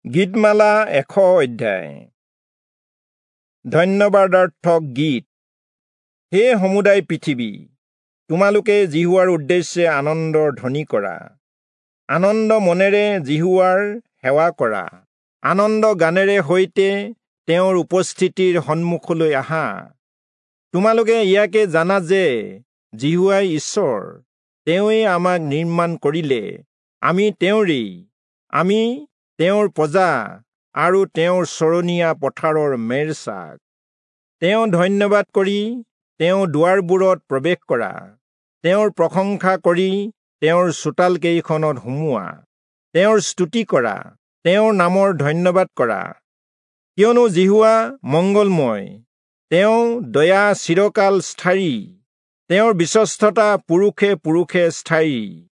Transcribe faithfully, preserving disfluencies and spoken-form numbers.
গীতমালা এশ অধ্যায়। ধন্যবাদাৰ্থক গীত। হে সমুদায় পৃথিৱী, তোমালোকে যিহোৱাৰ উদ্দেশ্যে আনন্দৰ ধ্বনি কৰা, আনন্দ মনেৰে যিহোৱাৰ সেৱা কৰা, আনন্দ গানেৰে সৈতে তেওঁৰ উপস্থিতিৰ সন্মুখলৈ আহা। তোমালোকে ইয়াকে জানা যে যিহোৱাই ঈশ্বৰ, তেওঁৱেই আমাক নিৰ্মাণ কৰিলে, আমি তেওঁৰেই, আমি তেওঁৰ প্ৰজা আৰু তেওঁৰ চৰণীয়া পথাৰৰ মেৰছাক। তেওঁ ধন্যবাদ কৰি তেওঁ দুৱাৰবোৰত প্ৰৱেশ কৰা, তেওঁৰ প্ৰশংসা কৰি তেওঁৰ চোতাল কেইখনত সোমোৱা, তেওঁৰ স্তুতি কৰা, তেওঁৰ নামৰ ধন্যবাদ কৰা। কিয়নো যিহোৱা মংগলময়, তেওঁ দয়া চিৰকাল স্থায়ী, তেওঁৰ বিশ্বস্ততা পুৰুষে পুৰুষে স্থায়ী।